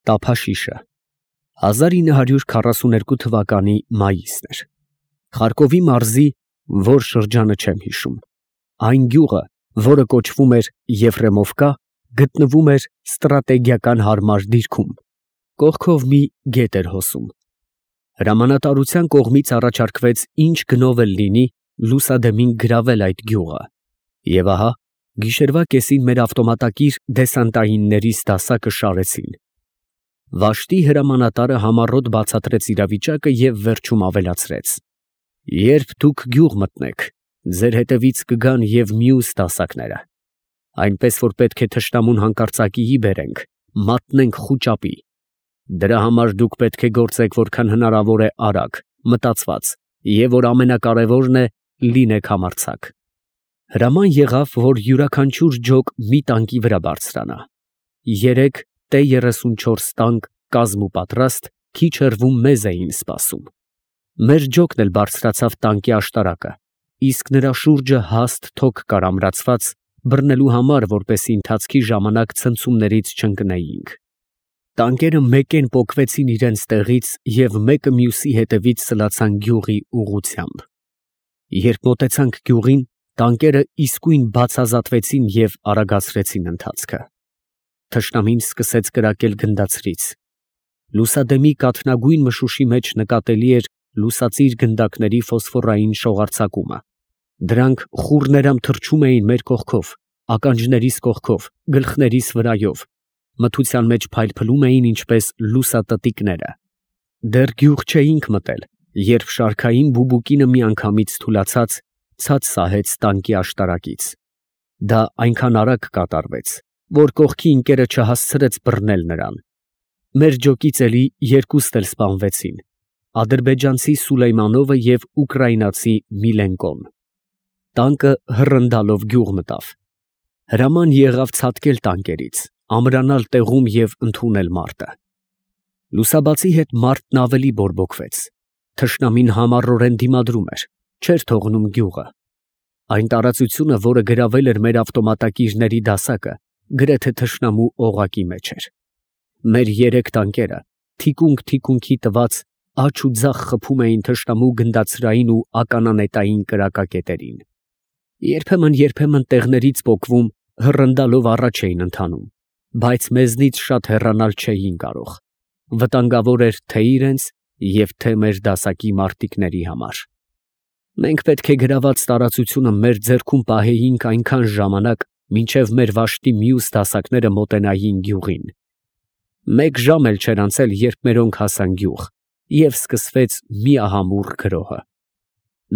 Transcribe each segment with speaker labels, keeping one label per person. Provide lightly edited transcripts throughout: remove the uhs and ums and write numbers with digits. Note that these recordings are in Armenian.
Speaker 1: Տափաշիշը 1942 թվականի մայիսն էր։ Խարկովի մարզի, որ շրջանը չեմ հիշում, այն գյուղը, որը կոչվում էր Եֆրեմովկա, գտնվում էր ստրատեգիական հարմար դիրքում, կողքով մի գետ էր հոսում։ Հրամանատարության կողմից առաջարկվեց ինչ գնով էլ լինի լուսադեմին գրավել այդ գյուղը, և ահա գիշերվա կեսին մեր ավտոմատակիր դեսանտայինների դասակը շարեցին։ Վաշտի հրամանատարը համառոտ բացատրեց իրավիճակը և վերջում ավելացրեց. «Երբ դուք գյուղ մտնեք, ձեր հետևից կգան և մյուս դասակները, այնպես որ պետք է թշնամուն հանկարծակիի բերենք, մատնենք խուճապի. դրա համար դուք պետք է գործեք որքան հնարավոր է արագ, մտածված, և որ ամենակարևորն է, լինեք համարձակ»։ Հրաման եղավ, որ յուրաքանչյուր ջոկ մի տանկի վրա բարձրանա։ 3 T-34 տանկ կազմուպատրաստ քիչ հեռվում մեզ էին սպասում։ Մեր ջոկն էլ բարձրացավ տանկի աշտարակը, իսկ նրա շուրջը հաստ թոք կար ամրացված, բռնելու համար, որպեսզի ընթացքի ժամանակ ցնցումներից չընկնեինք։ Տանկերը մեկեն պոկվեցին իրենց տեղից և մեկը մյուսի հետևից սլացան գյուղի ուղղությամբ։ Երբ մոտեցանք գյուղին, տանկերը իսկույն բացազատվեցին և արագացրեցին ընթացքը։ Թշնամին սկսեց կրակել գնդացրից։ Լուսադեմի կաթնագույն մշուշի մեջ նկատելի էր լուսածիր գնդակների ֆոսֆորային շողարձակումը։ Դրանք խուռներամ թռչում էին մեր կողքով, ականջներիս կողքով, գլխներիս վրայով, մթության մեջ փայլփլում էին ինչպես լուսատտիկները։ Դեռ գյուղ չէինք մտել, երբ շարքային բուբուկինը միանգամից թուլացած ցած սահեց տանկի աշտարակից։ Դա այնքան արագ կատարվեց, որ կողքի ընկերը չհասցրեց բռնել նրան։ Մեր ջոկից էլի երկուստ էլ սպանվեցին՝ ադրբեջանցի Սուլեյմանովը և ուկրաինացի Միլենկոն։ Տանկը հռնդալով գյուղ մտավ։ Հրաման եղավ ցատկել տանկերից, ամրանալ տեղում և ընդունել մարտը։ Լուսաբացի հետ մարտն ավելի բորբոքվեց։ Թշնամին համառորեն դիմադրում էր, չէր թողնում գյուղը։ Այն տարածությունը, որը գրավել էր մեր ավտոմատակիրների դասակը, գրեթե թշնամու օղակի մեջ էր։ Մեր 3 տանկերը թիկունք տված աջ ու ձախ խփում էին թշնամու գնդացրային ու ականանետային կրակակետերին։ Երբեմն տեղներից պոկվում, հռնդալով առաջ էին ընթանում, բայց մեզնից շատ հեռանալ չէին կարող։ Վտանգավոր էր թե իրենց և թե մեր դասակի մարտիկների համար։ Մենք պետք է գրաված տարածությունը մեր ձեռքում պահեինք այնքան ժամանակ, մինչև մեր վաշտի մյուս դասակները մոտենային գյուղին։ 1 ժամ էլ չէր անցել, երբ մերոնք հասան գյուղ, և սկսվեց միահամուռ գրոհը։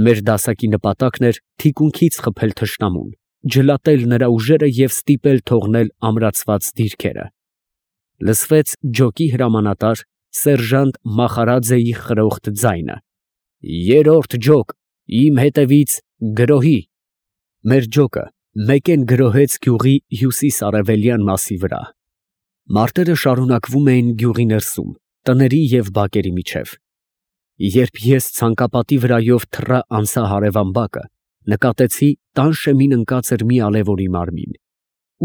Speaker 1: Մեր դասակի նպատակն էր թիկունքից խփել թշնամուն, ջլատել նրա ուժերը և ստիպել թողնել ամրացված դիրքերը։ Լսվեց ջոկի հրամանատար սերժանտ Մախարաձեի խրոխտ ձայնը. «Երրորդ ջոկ, իմ հետևից գրոհի»։ Մեր ջոկը մեկեն գրոհեց գյուղի հյուսիս֊արևելյան մասի վրա։ Մարտերը շարունակվում էին գյուղի ներսում, տների և բակերի միջև։ Երբ ես ցանկապատի վրայով թռա անցա հարևան բակը, նկատեցի տան շեմին ընկած էր մի ալևորի մարմին։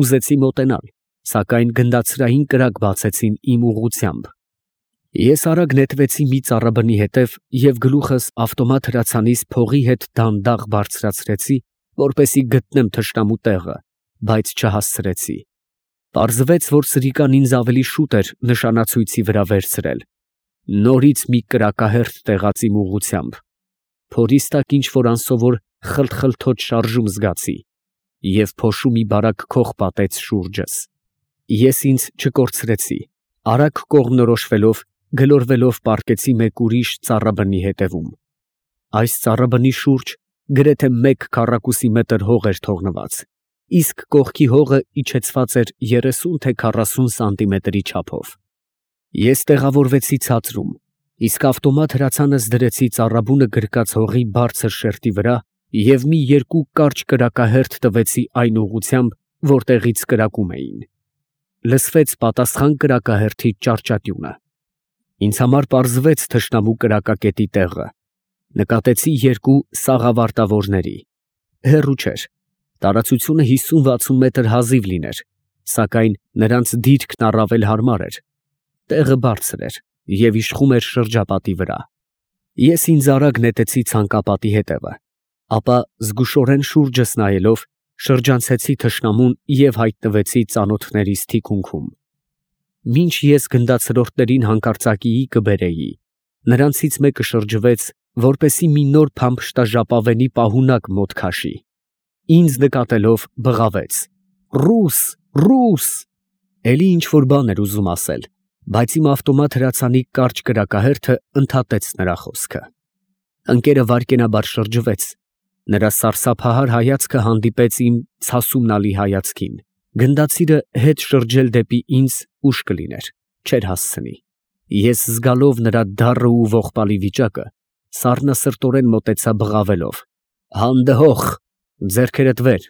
Speaker 1: Ուզեցի մոտենալ, սակայն գնդացրային կրակ բացեցին իմ ուղղությամբ։ Ես արագ նետվեցի մի ծառաբնի հետև և գլուխս ավտոմատ հրացանիս փողի հետ դանդաղ բարձրացրեցի, որպեսզի գտնեմ թշնամու տեղը, բայց չհասցրեցի։ Պարզվեց, որ սրիկան ինձ ավելի շուտ էր նշանացույցի վրա վերցրել։ Նորից մի կրակահերթ տեղաց իմ ուղղությամբ։ Փորիս տակ ինչ֊որ անսովոր խլթխլթոց շարժում զգացի, և փոշու մի բարակ քող պատեց շուրջս։ Ես ինձ չկորցրեցի, արագ կողմնորոշվելով, գլորվելով պառկեցի մեկ ուրիշ ծառաբնի հետևում։ Այս ծառաբնի շուրջ գրեթե 1 քառակուսի մետր հող էր թողնված, իսկ կողքի հողը իջեցված էր 30 թե 40 սանտիմետրի չափով։ Ես տեղավորվեցի ցածրում, իսկ ավտոմատ հրացանս դրեցի ծառաբունը գրկած հողի բարձր շերտի վրա և մի 2 կարճ կրակահերթ տվեցի այն ուղղությամբ, որտեղից կրակում էին։ Լսվեց պատասխան կրակահերթի ճարճատյունը։ Ինձ համար պարզվեց թշնամու կրակակետի տեղը։ Նկատեցի 2 սաղավարտավորների։ Հեռու չէր, տարածությունը 50-60 մետր հազիվ լիներ, սակայն նրանց դիրքն առավել հարմար էր։ Տեղը բարձր էր և իշխում էր շրջապատի վրա։ Ես ինձ արագ նետեցի ցանկապատի հետևը, ապա զգուշորեն շուրջս նայելով շրջանցեցի թշնամուն և հայտնվեցի ծանոթներիս թիկունքում։ Մինչ ես գնդացրորդներին հանկարծակիի կբերեի, նրանցից մեկը շրջվեց, որպեսզի մի նոր փամփշտաժապավենի պահունակ մոտ քաշի։ Ինձ նկատելով բղավեց. «Ռուս, ռուս»։ Էլի ինչ-որ բան էր ուզում ասել, բայց իմ ավտոմատ հրացանի կարճ կրակահերթը ընդհատեց նրա խոսքը։ Ընկերը վայրկենաբար շրջվեց, նրա սարսափահար հայացքը հանդիպեց իմ ցասումնալի հայացքին։ Գնդացիրը հետ շրջել դեպի ինձ ուշ կլիներ, չէր հասցնի։ Ես զգալով նրա դառն ու ողբալի վիճակը, սառնասրտորեն մոտեցա բղավելով. «Հանդհոխ, ձեռքերդ վեր»։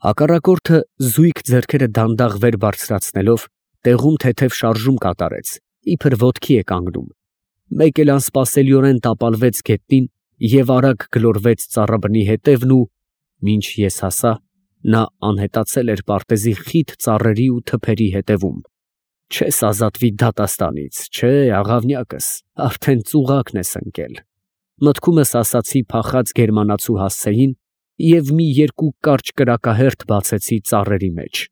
Speaker 1: Հակառակորդը զույգ ձեռքերը դանդաղ վեր բարձրացնելով, տեղում թեթև շարժում կատարեց, իբր ոտքի է կանգնում։ Մեկ էլ անսպասելիորեն տապալվեց գետնին և արագ գլորվեց ծառաբնի ետևն ու, մինչ ես հասա, նա անհետացել էր պարտեզի խիտ ծառերի ու թփերի ետևում։ Չես ազատվի դատաստանից, չէ, աղավնյակս, արդեն ծուղակն ես ընկել։ Մտքումս ասացի փախած գերմանացու հասցեին և մի երկու կարճ կրակահերթ բացեցի ծառերի մեջ։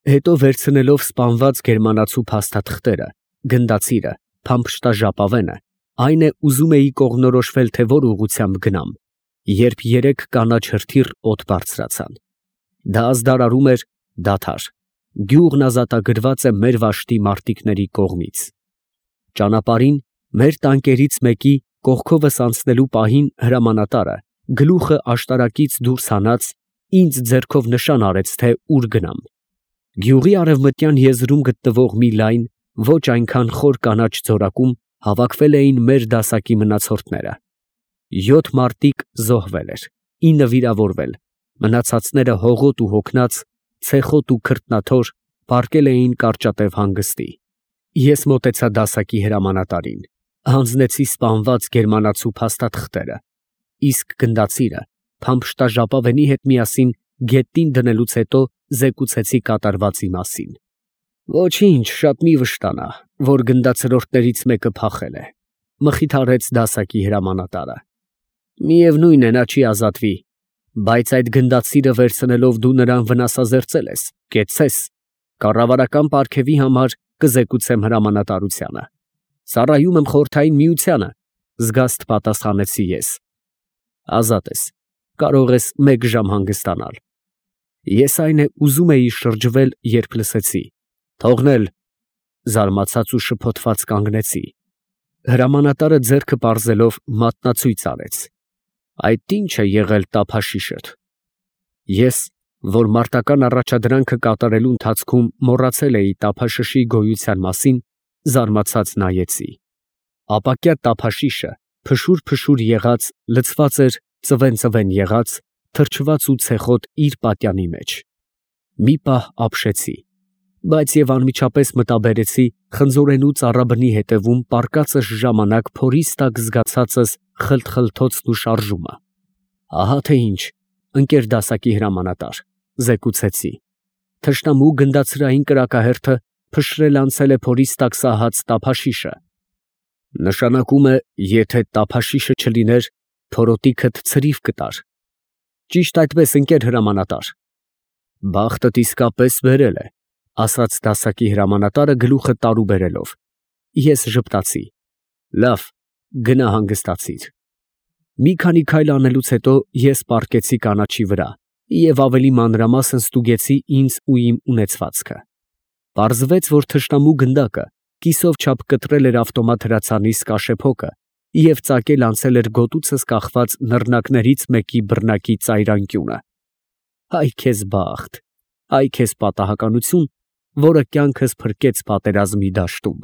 Speaker 1: Հետո վերցնելով սպանված գերմանացու փաստաթղթերը, գնդացիրը, փամփշտաժապավենը, այն է ուզում էի կողմնորոշվել, թե որ ուղղությամբ գնամ, երբ երեք կանաչ հրթիռ օդ բարձրացան։ Դա ազդարարում էր դադար։ Գյուղն ազատագրված է մեր վաշտի մարտիկների կողմից։ Ճանապարհին մեր տանկերից մեկի կողքովս անցնելու պահին հրամանատարը, գլուխը աշտարակից դուրս հանած, ինձ ձեռքով նշան արեց, թե ուր գնամ։ Գյուղի արևմտյան եզրում գտնվող մի լայն, ոչ այնքան խոր կանաչ ձորակում հավաքվել էին մեր դասակի մնացորդները։ 7 մարտիկ զոհվել էր, 9 վիրավորվել, մնացածները հողոտ ու հոգնած, ցեխոտ ու քրտնաթոր պառկել էին կարճատև հանգստի։ Ես մոտեցա դասակի հրամանատարին, հանձնեցի սպանված գերմանացու փաստաթղթերը, իսկ գնդացիրը փամփշտաժապավենի հետ միասին գետնին դնելուց հետո զեկուցեցի կատարվածի մասին։ Ոչինչ, շատ մի վշտանա, որ գնդացրորդներից մեկը փախել է, մխիթարեց դասակի հրամանատարը։ Միևնույն է, նա չի ազատվի, բայց այդ գնդացիրը վերցնելով դու նրան վնասազերծել ես, կեցցես, կառավարական պարգևի համար կզեկուցեմ հրամանատարությանը։ Ծառայում եմ Խորհրդային Միությանը, զգաստ պատասխանեցի ես։ Ազատ ես, կարող ես 1 ժամ հանգստանալ։ Ես այն է ուզում էի շրջվել, երբ լսեցի. թողնել, զարմացած ու շփոթված կանգնեցի։ Հրամանատարը ձեռքը պարզելով մատնացույց արեց. այդ ի՞նչ է եղել տափաշիշդ։ Ես, որ մարտական առաջադրանքը կատարելու ընթացքում մոռացել էի տափաշշի գոյության մասին, զարմացած նայեցի։ Ապակյա տափաշիշը փշուր եղած, լցված էր ծվեն եղած, թրջված ու ցեխոտ իր պատյանի մեջ։ Մի պահ ապշեցի, բայց և անմիջապես մտաբերեցի խնձորենու ծառաբնի հետևում պառկածս ժամանակ փորիս տակ զգացածս խլթխլթոցն ու շարժումը։ Ահա թե ինչ, ընկեր դասակի հրամանատար, զեկուցեցի։ Թշնամու գնդացրային կրակահերթը փշրել անցել է փորիս տակ սահած տափաշիշը։ Նշանակում է, եթե տափաշիշը չլիներ, փորոտիքդ ցրիվ կտար։ Ճիշտ այդպես, ընկեր հրամանատար։ Բախտդ իսկապես բերել է, ասաց դասակի հրամանատարը գլուխը տարու բերելով։ Ես ժպտացի։ Լավ, գնա հանգստացիր։ Մի քանի քայլ անելուց հետո ես պառկեցի կանաչի վրա և ավելի մանրամասն ստուգեցի ինձ ու իմ ունեցվածքը։ Պարզվեց, որ թշնամու գնդակը կիսով չափ կտրել էր ավտոմատ հրացանի սկաշեփոկը և ծակել անցել էր գոտուցս կախված նռնակներից մեկի բռնակի ծայրանկյունը։ Այ քեզ բախտ, այ քեզ պատահականություն, որը կյանքս փրկեց պատերազմի դաշտում։